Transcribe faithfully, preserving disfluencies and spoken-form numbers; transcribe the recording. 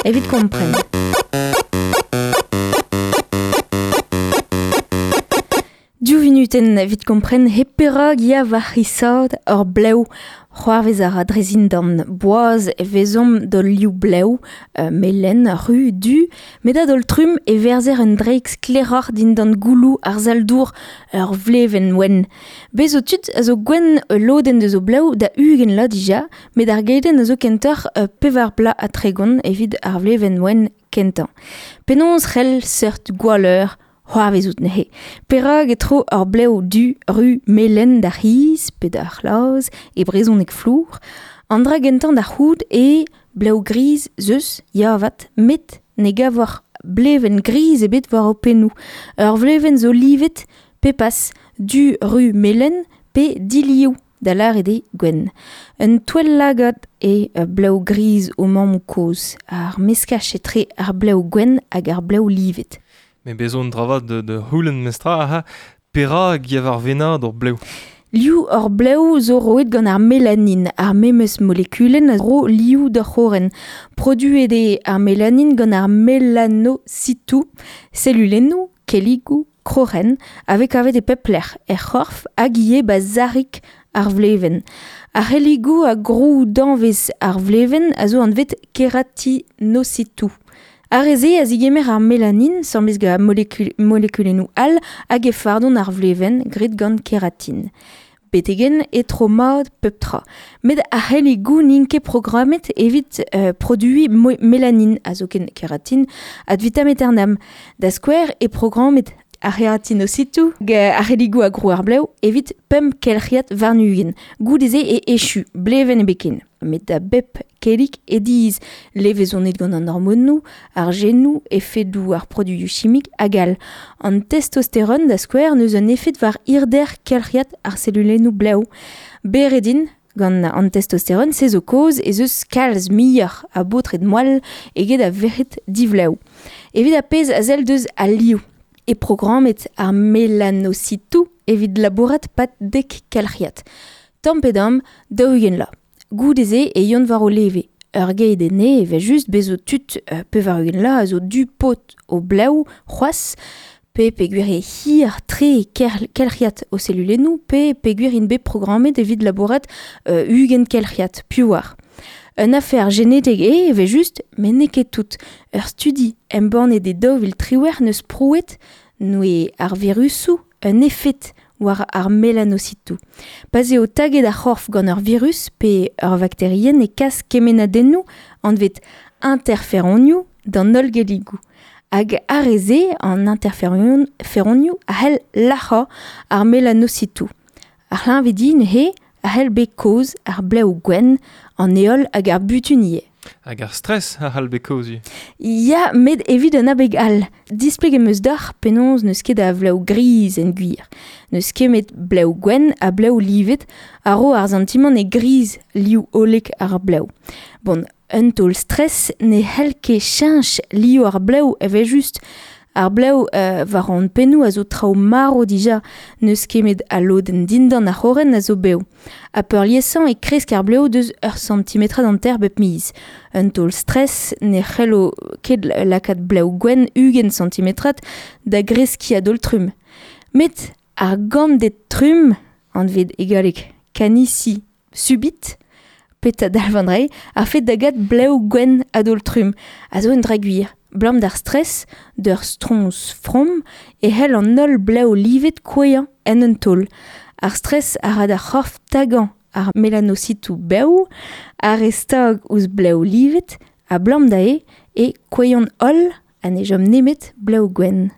evit kompren. Div vinuten evit kompren he perag ya war c'hisad ur blev c'hoarvez a ra drezindan boaz e vezomp d'ol liv blev, euh, melen, ru, du, met a d'ol trum e verzer un dreik skleroc'h dindan goulou ar zaldour ur vleven wenn. Bez o tud a zo gwenn lodenn deus o blev da ugent la dija, met ar geiden a zo kentoc'h euh, pevar bla a tregont evit ar vleven wenn kentañ. Penaos c'hell seurt gwalleur c'hoarvezout neuze. Perag e tro ur blev du ru melen d'ar c'hiz, pe d'ar c'hlaz, e brezhoneg flour. An dra gentañ d'ar c'houd e blev griz zeus, yavat, met ne gavoc'h bleven griz ebet war ho pennoù. Ur vleven zo livet pe pas du ru melen pe dilioù da lâret eo gwenn. Un touell lagad e blev griz o mammoù kozh, ar meskaj etre ar blev gwenn hag ar blev livet. Me bezon dravat de, de houlen mestra aha, perag ya war venad ur blev. Liv ur blev zo roet gant ar melanin, ar memes molekulenn a ro liv d'ur c'horenn. Produet eo ar melanin gant ar melanositou, selulennoù, kelligoù, krorenn, a vez kavet e pep lec'h, er c'horf hag ivez ba zarik ar vlevenn. Ar c'helligoù a grou danvez ar vlevenn a zo anvet keratinositou. Ar re-se a zigemer ar melanin, samblez gant molekul, molekulennoù all hag e fardon ar vlevenn graet gant keratin. Betegen e tro mat pep tra. Met ar c'helligoù n'int ket programmet evit euh, produiñ mo- melanin, a zoken keratin, ad vitam aeternam. Da skouer e programmet ar c'heratinositou hag ar c'helligoù a grou ar blev evit pemp kelc'hiad warn-ugent. Goude-se e echu, blevenn ebet. Met da bep kellig e diz levezonet gant an hormonoù, ar genoù, efedoù ar produioù chimik hag all. An testosteron da skouer n'eus un efed war hirder kelc'hiad ar selulennoù blev. Beredin, gant an testosteron, se zo kaoz ez eus kalz muioc'h a baotred moal eget a verc'hed divlev. Evit ar pezh a sell deus al liv. E programmet ar melanositou evit labourat pat dek kelc'hiad. Tamm pe damm, daou-ugent la. Goude-se e yon war o leve. Ur geid ene e vez just bezo tud euh, pevar-ugent la a zo du pot o blev c'hoazh, pe peogwir e hir tre ker, kelc'hiad o selulennoù, pe peogwir int bet programmet evit labourat euh, ugent kelc'hiad, piv war. Un afer genetek eo e vez just, met n'eo ket tout. Ur studi embannet e daou vil triwec'h neus prouet n'oe ar virusoù un efed war ar melanositou. Pa'z eo taget ar c'horf gant ur virus pe ur vakterienn e kas kemennadennoù anvet interferonioù d'an holl gelligoù. Hag ar re-se, an interferonioù a c'hell lac'hañ ar melanositou. Ar c'hleñvedi neuze a c'hell bet kaoz ar blev gwenn, an heol hag ar butun ivez. Hag ar stress a c'hall bet kaoz ivez. Ya, met evit un abeg all. Displeg em eus deoc'h penaos n'eus ket a vlev griz en gwir. N'eus ket met blev gwenn ha blev livet a ro ar santimant e griz liv hollek ar blev. Bon, un taol stress ne c'hell ket cheñch liv ar blev evel-just. Ar blev euh, war an pennoù a zo traoù marv dija, n'eus ket met al lodenn dindan ar c'horenn a zo bev. Ha peurliesañ e kresk ar blev deus ur santimetrad hanter bep miz. Un taol stress ne c'hello ket lakaat blev gwenn ugent santimetrad da greskiñ a-daol trumm. Met ar ganded trumm, anvet e galleg canici subite, peta dalv an dra-se, ar fet da gat blev gwenn a-daol trumm, a zo un dra gwir. Blam d'ar stress, d'ur stroñs from, e c'hell an holl blev livet kouezhañ en un taol. Ar stress a ra d'ar c'horf tagañ ar melanositou bev, ar re stag ouzh blev livet, ha blam da eo e kouezhont holl ha ne chom nemet blev gwenn.